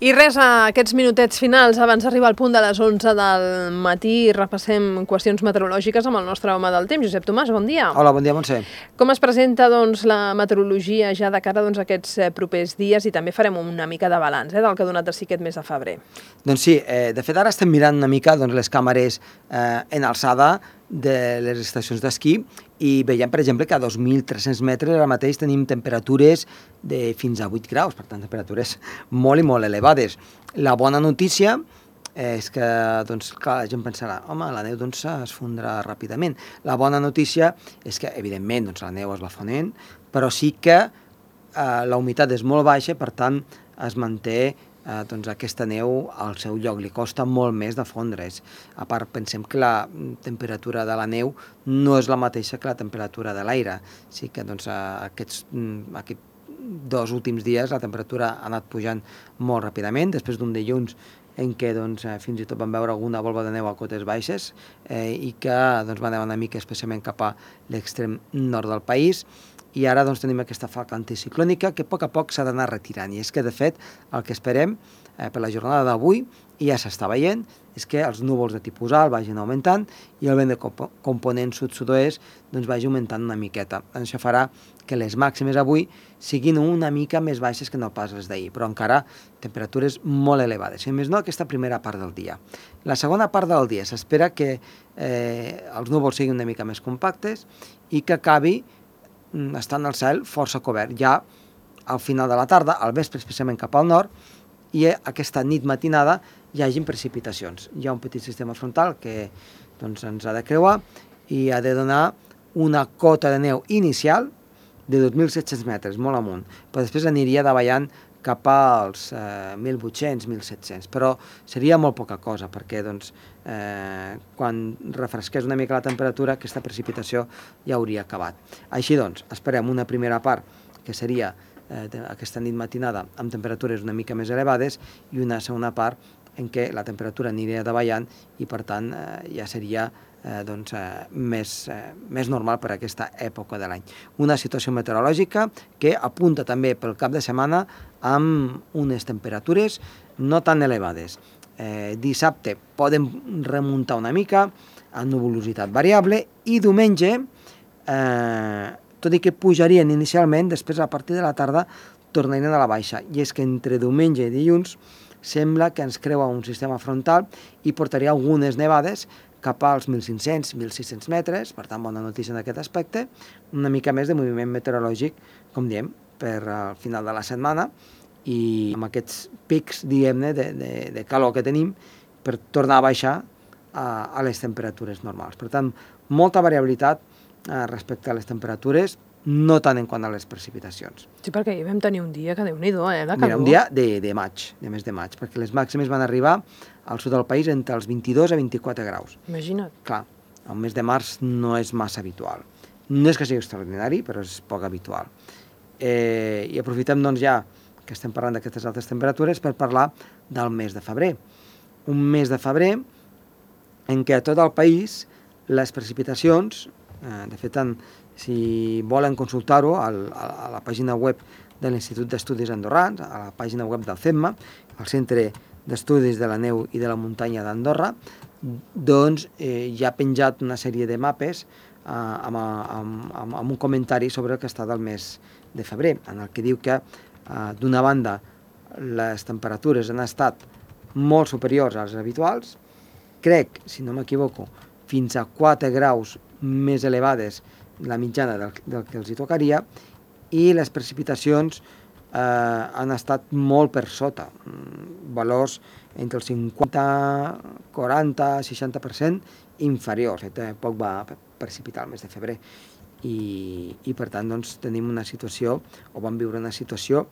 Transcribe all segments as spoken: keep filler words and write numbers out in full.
I res, a aquests minutets finals, abans d'arribar al punt de les onze del matí, repassem qüestions meteorològiques amb el nostre home del temps, Josep Tomàs, bon dia. Hola, bon dia, Montse. Com es presenta doncs, la meteorologia ja de cara doncs, a aquests propers dies i també farem una mica de balanç eh, del que ha donat de si aquest mes de febrer? Doncs sí, eh, de fet ara estem mirant una mica doncs, les càmeres eh, en alçada de les estacions d'esquí i veiem, per exemple, que a dos mil tres-cents metres ara mateix tenim temperatures de fins a vuit graus, per tant, temperatures molt i molt elevades. La bona notícia és que, doncs, clar, la gent pensarà, home, la neu doncs, es fondrà ràpidament. La bona notícia és que, evidentment, doncs, la neu es va fonent, però sí que eh, la humitat és molt baixa, per tant, es manté eh, doncs, aquesta neu al seu lloc, li costa molt més de fondre's. A part, pensem que la temperatura de la neu no és la mateixa que la temperatura de l'aire. Sí que doncs, aquests, aquests dos últims dies la temperatura ha anat pujant molt ràpidament, després d'un dilluns en què doncs, fins i tot vam veure alguna volva de neu a cotes baixes eh, i que doncs, va anar una mica especialment cap a l'extrem nord del país. I ara doncs, tenim aquesta falca anticiclònica que a poc a poc s'ha d'anar retirant. I és que, de fet, el que esperem eh, per la jornada d'avui, i ja s'està veient, és que els núvols de tipus alt vagin augmentant i el vent de comp component sud-sud-oest doncs, vagi augmentant una miqueta. Això farà que les màximes avui siguin una mica més baixes que no pas les d'ahir, però encara temperatures molt elevades. I més no, aquesta primera part del dia. La segona part del dia s'espera que eh, els núvols siguin una mica més compactes i que acabi estant el cel força cobert. Ja al final de la tarda, al vespre especialment cap al nord, i aquesta nit matinada hi hagin precipitacions. Hi ha un petit sistema frontal que doncs, ens ha de creuar i ha de donar una cota de neu inicial de dos mil set-cents metres, molt amunt, però després aniria davallant cap als eh, mil vuit-cents, mil set-cents, però seria molt poca cosa, perquè doncs, eh, quan refresqués una mica la temperatura, aquesta precipitació ja hauria acabat. Així doncs, esperem una primera part, que seria eh, aquesta nit matinada, amb temperatures una mica més elevades, i una segona part en què la temperatura aniria davallant i, per tant, eh, ja seria eh, doncs, eh, més, eh, més normal per a aquesta època de l'any. Una situació meteorològica que apunta també pel cap de setmana amb unes temperatures no tan elevades. Eh, dissabte podem remuntar una mica amb nuvolositat variable i diumenge, eh, tot i que pujarien inicialment, després a partir de la tarda tornarien a la baixa. I és que entre diumenge i dilluns sembla que ens creua un sistema frontal i portaria algunes nevades cap als mil cinc-cents, mil sis-cents metres, per tant, bona notícia en aquest aspecte, una mica més de moviment meteorològic, com diem, per al final de la setmana, i amb aquests pics, diguem-ne, de, de, de calor que tenim, per tornar a baixar a, a les temperatures normals. Per tant, molta variabilitat eh, respecte a les temperatures, no tant en quant a les precipitacions. Sí, perquè hi vam tenir un dia que Déu-n'hi-do, eh, de calor. Mira, un dia de, de maig, de mes de maig, perquè les màximes van arribar al sud del país entre els vint-i-dos a vint-i-quatre graus. Imagina't. Clar, el mes de març no és massa habitual. No és que sigui extraordinari, però és poc habitual. Eh, I aprofitem, doncs, ja que estem parlant d'aquestes altes temperatures per parlar del mes de febrer. Un mes de febrer en què a tot el país les precipitacions, eh, de fet, en, si volen consultar-ho a la pàgina web de l'Institut d'Estudis Andorrans, a la pàgina web del CEMMA, el Centre d'Estudis de la Neu i de la Muntanya d'Andorra, doncs eh, hi ha penjat una sèrie de mapes eh, amb, amb, amb, amb un comentari sobre el que està del mes de febrer, en el que diu que eh, d'una banda les temperatures han estat molt superiors als habituals, crec, si no m'equivoco, fins a quatre graus més elevades la mitjana del, del que els hi tocaria, i les precipitacions eh, han estat molt per sota, valors entre el cinquanta, quaranta, seixanta per cent inferiors. Poc va precipitar el mes de febrer i, i per tant doncs, tenim una situació, o vam viure una situació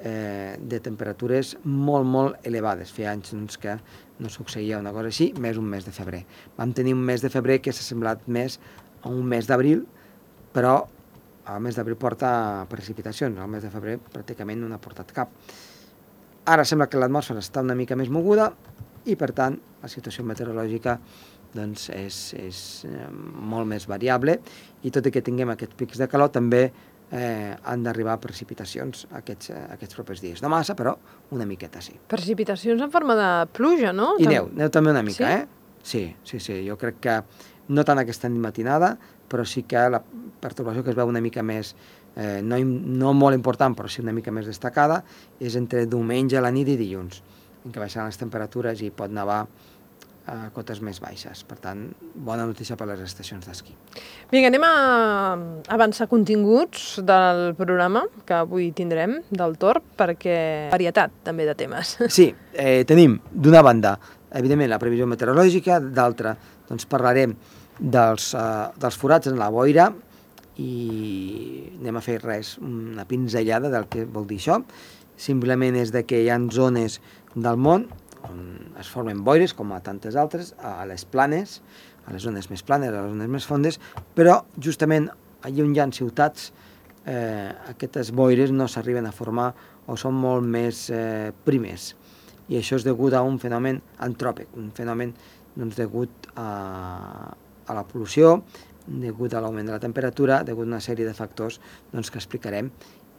eh, de temperatures molt, molt elevades. Feia anys doncs, que no succeïa una cosa així, més un mes de febrer. Vam tenir un mes de febrer que s'ha semblat més a un mes d'abril, però el mes d'abril porta precipitacions, el mes de febrer pràcticament no n'ha portat cap. Ara sembla que l'atmosfera està una mica més moguda i, per tant, la situació meteorològica doncs, és, és eh, molt més variable, i tot i que tinguem aquests pics de calor, també eh, han d'arribar precipitacions aquests, eh, aquests propers dies. No massa, però una miqueta sí. Precipitacions en forma de pluja, no? I neu, neu també una mica, Sí? eh? Sí, sí, sí, jo crec que no tant aquesta matinada, però sí que la pertorbació que es veu una mica més, eh, no, no molt important, però sí una mica més destacada, és entre diumenge a la nit i dilluns, en què baixaran les temperatures i pot nevar a cotes més baixes. Per tant, bona notícia per les estacions d'esquí. Vinga, anem a avançar continguts del programa que avui tindrem del Torb, perquè varietat també de temes. Sí, eh, tenim d'una banda, evidentment, la previsió meteorològica, d'altra, doncs parlarem dels, eh, dels forats en la boira i anem a fer res, una pinzellada del que vol dir això. Simplement és de que hi ha zones del món on es formen boires, com a tantes altres, a les planes, a les zones més planes, a les zones més fondes, però justament allà on hi ha ciutats, eh, aquestes boires no s'arriben a formar o són molt més eh, primes. I això és degut a un fenomen antròpic, un fenomen doncs, degut a, a la pol·lució, degut a l'augment de la temperatura, degut a una sèrie de factors doncs, que explicarem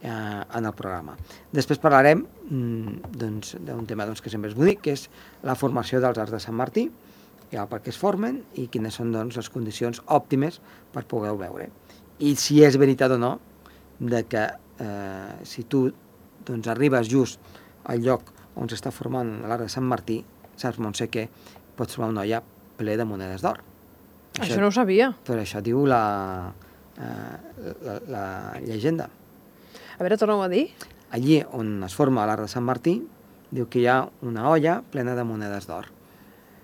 eh, en el programa. Després parlarem mm, doncs, d'un tema doncs, que sempre és bonic, que és la formació dels arcs de Sant Martí, ja per què es formen i quines són doncs, les condicions òptimes per poder-ho veure. I si és veritat o no de que eh, si tu doncs, arribes just al lloc on s'està formant l'arc de Sant Martí, saps, Montse, que pots trobar una olla ple de monedes d'or. Això, això no ho sabia. Però això diu la, eh, la, la llegenda. A veure, torna-ho a dir. Allí on es forma l'arc de Sant Martí, diu que hi ha una olla plena de monedes d'or.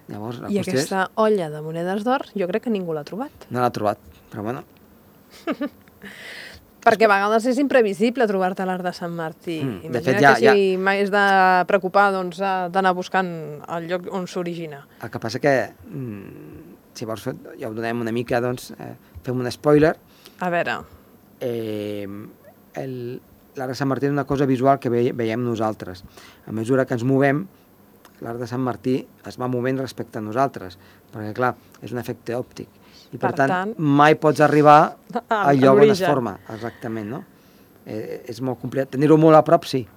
Llavors, la I qüestió aquesta és... olla de monedes d'or jo crec que ningú l'ha trobat. No l'ha trobat, però bueno. Perquè a vegades és imprevisible trobar-te l'arc de Sant Martí. Mm, de Imagina fet, ja- que si ja- mai has de preocupar doncs, eh, d'anar buscant el lloc on s'origina. El que passa que, mm, si vols, fer, ja ho donem una mica, doncs, eh, fem un spoiler. A veure, Eh, el, l'arc de Sant Martí és una cosa visual que ve, veiem nosaltres. A mesura que ens movem, l'arc de Sant Martí es va movent respecte a nosaltres, perquè, clar, és un efecte òptic. I, per, Per tant, tant, mai pots arribar a- al lloc on es l'origen. forma, exactament, no? Eh, és molt complicat. Tenir-ho molt a prop, sí.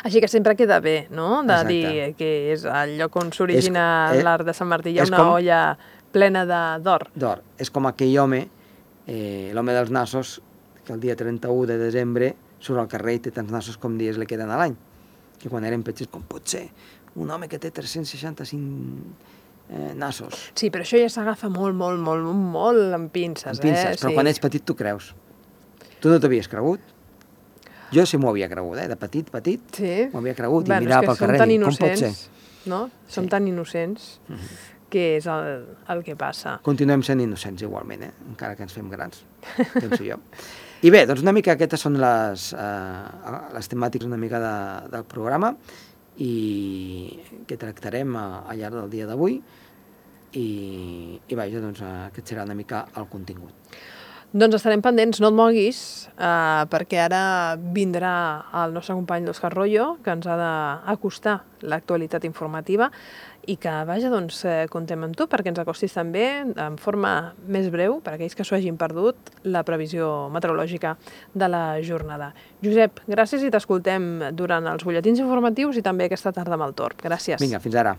així que sempre queda bé, no?, de Exacte. dir que és el lloc on s'origina És- eh, l'arc de Sant Martí. Hi ha és una com- olla plena de- d'or. D'or. És com aquell home, eh, l'home dels nassos, que el dia trenta-u de desembre surt al carrer i té tants nassos com dies li queden a l'any. Que quan eren petits, com pot ser un home que té tres-cents seixanta-cinc eh, nassos? Sí, però això ja s'agafa molt, molt, molt, molt amb pinces, Amb pinces, eh? però Sí. quan ets petit t'ho creus. Tu no t'havies cregut? Jo sí m'ho havia cregut, eh? De petit, petit, Sí. m'ho havia cregut i Bueno, mirava és pel que som carrer tan i dic, com pot ser? innocents, no? Som Sí. tan innocents que és el, el que passa. Continuem sent innocents igualment, eh? Encara que ens fem grans, penso jo. I bé, doncs una mica aquestes són les, eh, les temàtiques una mica de, del programa i que tractarem a, al llarg del dia d'avui i, i vaja, doncs aquest serà una mica el contingut. Doncs estarem pendents, no et moguis, eh, perquè ara vindrà el nostre company l'Òscar Royo, que ens ha d'acostar l'actualitat informativa i que, vaja, doncs, eh, contem amb tu perquè ens acostis també, en forma més breu, per aquells que s'ho hagin perdut, la previsió meteorològica de la jornada. Josep, gràcies i t'escoltem durant els butlletins informatius i també aquesta tarda amb el Torb. Gràcies. Vinga, fins ara.